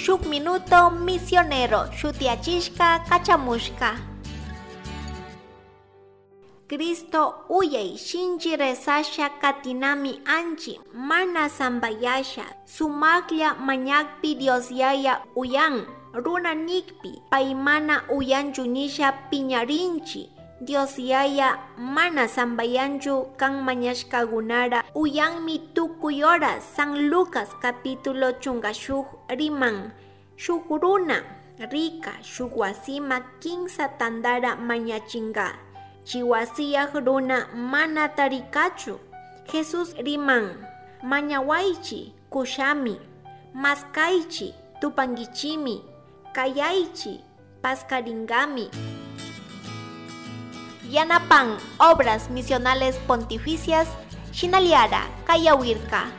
Shuk Minuto Misionero shutiyachishka kachamushka. Cristo uyay shinchi rezasha katinami anchi mana sambayasha sumaqlla mañakpi Dios Yaya uyan runa nikpi pay mana uyanchu nisha piñarinchi. Dios Yaya mana sambayanchu kan mañashkagunara uyanmi tukuy hora. San Lucas capítulo 16 riman. Shuk runa rika shuk wasima kinsa tandara mañachinga. Chi wasiyaj runa mana tarikachu. Jesús riman, mañawaychi kushami, maskaychi tupanguichimi, kayaychi paskaringami. Yanapan Obras Misionales Pontificias, Shinaliara, Kayawirka.